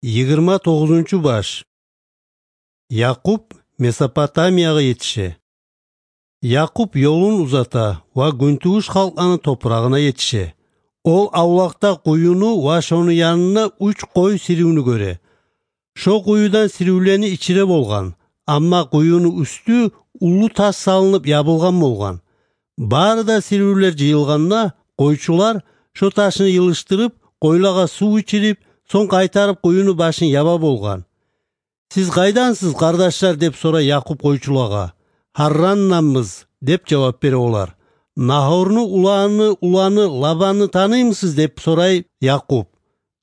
29-баш. Якуб Месопотамияга жетише. Якуб yolun узата ва күнтүгүш халкынын топурагына жетише. Ол аулакта куюну ва шонун янына 3 кой сириүүнү көрө. Шо куюдан сириүүлени ичире болган, амма куюнун үстү улуу таш салынып ябылган болган. Баары да сириүүлер жыйылганна койчулар шо ташыны йылыштырып, койлага суу ичирип, соң кайтарып куюну башын яба болган. Сиз кайдансыз, кардаштар, деп сора Якуб койчуларга. Харраннанбыз, деп жооп бере олар. Нахорну уланы Лабанны тааныймысыз, деп сорай Якуб.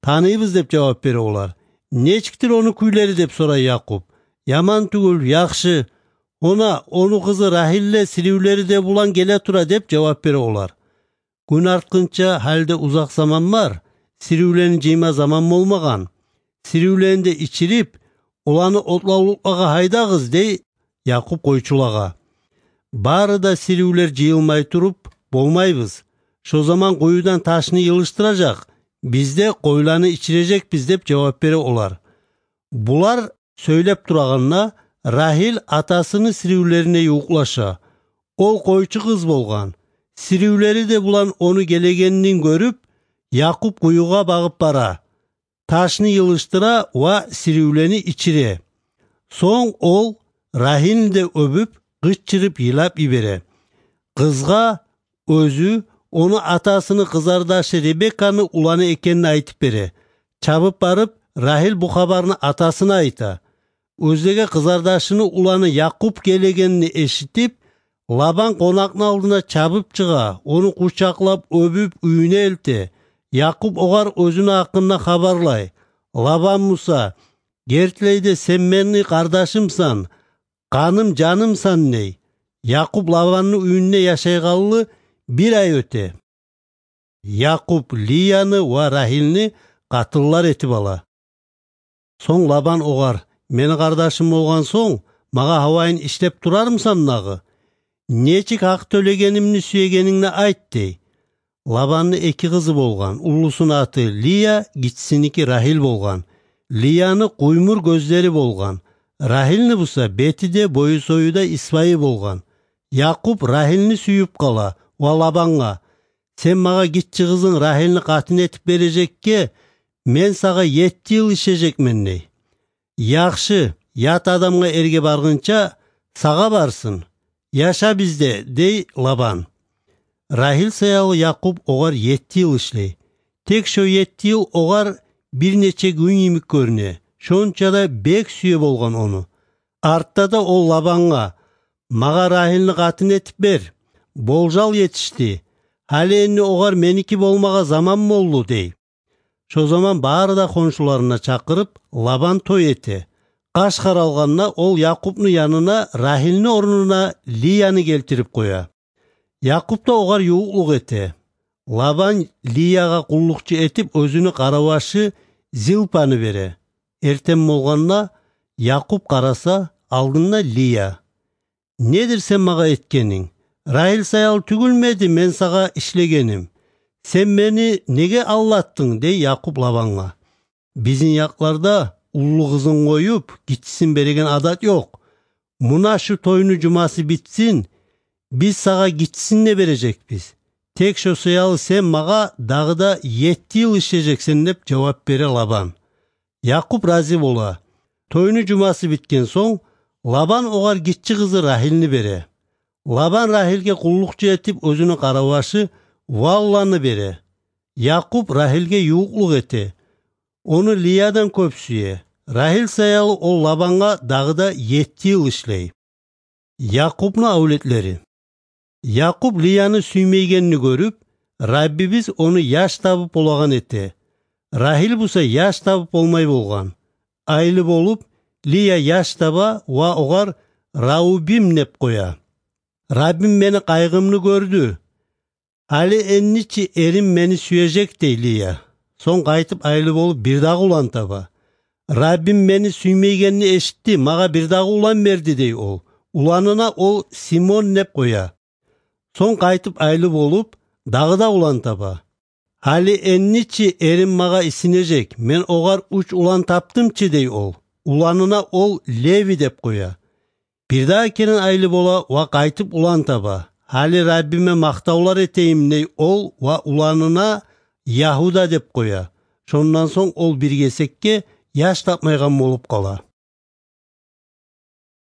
Тааныйбыз, деп жооп бере олар. Нечиктир ону күйлери, деп сорай Якуб. Яман түгүл, жакшы. Ону кызы Рахиль сириүүлери де булан келе тура, деп жооп бере олар. Күн арткынча халде узак заман бар. Сириүүлени жыйма заман болмаган. Сириүүленди ичирип, уланы отлаулукка хайдагыз, дей Якуб койчуларга. Баары да сириүүлер жыйылмай туруп болмайбыз. Шо заман куюдан ташны йылыштыражак, бизде койланы ичирежекпиз, деп жооп бере олар. Булар сөйлөп тураганна Рахиль атасынын сириүүлерине уклаша. Ол койчу кыз болгон. Сириүүлери де булан ону келегенин көрүп, Якуб куюга багып бара. Ташны йылыштыра ва сириүүлени ичире. Соң ол Рахильди өбүп, кыччырып ыйлап ибере. Кызга өзү ону атасынын кызардашы Ребекканы уланы экенин айтып бере. Чабып барып, Рахиль бу кабарны атасына айта. Өздөге кызардашынын уланы Якуб келегенин эшитип, Лабан конактын алдына чабып чыга, ону кучаклап өбүп үйүнө элте. Якуб огар өзүнүн акынына кабарлай. Лабан Муса, кертилейде сен менин кардашымсан, каным жанымсан ней. Якуб Лабандын үйүнө жашай калгалы 1 ай өтө. Якуб Лияны ва Рахильни катыллар этип ала. Соң Лабан огар, мени кардашым болгон соң, мага абайын иштеп турармсан нагы? Нечик ак төлөгенимни сүйөгениңни айт, дей. Лабандын 2 кызы болгон. Улусунун аты Лия, кичисиники Рахиль болгон. Лияны куймур көздери болгон. Рахильни буса бети де бою сою да исбайы болгон. Якуб Рахильни сүйүп кала ва Лабанга: сен мага кичи кызың Рахильни катын этип бережекке, мен сага 7 жыл ишежекмин, дей. Жакшы, ят адамга эрге баргынча сага барсын. Яша бизде, дей Лабан. Рахиль саялы Якуб огар 7 жыл ишлей. Тек шо 7 жыл огар бир нече күн имик көрүнө. Шонча да бек сүйө болгон ону. Артта да ол Лабанга: мага Рахильни катын этип бер. Болжал жетишти. Хали эми огар меники болмага заман болду, дей. Шо заман баары да коншуларына чакырып, Лабан той эте. Каш каралганна ол Якубнун янына Рахильни орнуна Лияны келтирип коя. Якуб да огар юуклук эте. Лабан Лияга куллукчу этип өзүнүн карабашы Зилпаны бере. Эртең болгонна Якуб караса, алдында Лия. Недир сен мага эткениң? Рахиль саял түгүлмеди мен сага ишлегеним. Сен мени неге аллаттың, дей Якуб Лабанга. Биздин якларда улуу кызын коюп, кичисин берген адат жок. Муна шу тойнун жумасы битсин, биз сага кичисин да бережекпиз. Тек шо сыялы сен мага дагы да 7 жыл ишежексин, деп жооп бере Лабан. Якуб разы бола. Тойнун жумасы биткен соң, Лабан огар кичи кызы Рахильни бере. Лабан Рахильге куллукчу этип өзүнүн карабашы Валланы бере. Якуб Рахильге юуклук эте. Ону Лиядан көп сүйө. Рахиль саялы ол Лабанга дагы да 7 жыл ишлей. Якубнун аулетлери. Якуб Лияны сүймейгенini көрүп, Раббибиз ону яш табып болаган эте. Рахиль буса яш табып болмай болгон. Айлы болуп, Лия яш таба ва огар Раубим деп коя. Раббим мени кайгымны көрдү. Али энничи эрим мени сүйөжек, дей Лия. Соң кайтып айлы болуп бир дагы улан таба. Раббим мени сүймейгенini эшитти, мага бир дагы улан берди, дей ол. Уланына ол Симон деп коя. Соң кайтып айлы болуп, дагы да улан таба. Али энничи эрим мага исинежек, мен огар уч улан таптымчы дей ол. Уланына ол Леви деп коя. Бирдаа керин айлы бола ва кайтып улан таба. Али Раббиме мактаулар этейим дей ол ва уланына Яхуда деп коя. Шондан соң ол бир кесекке яш тапмайган болуп кала.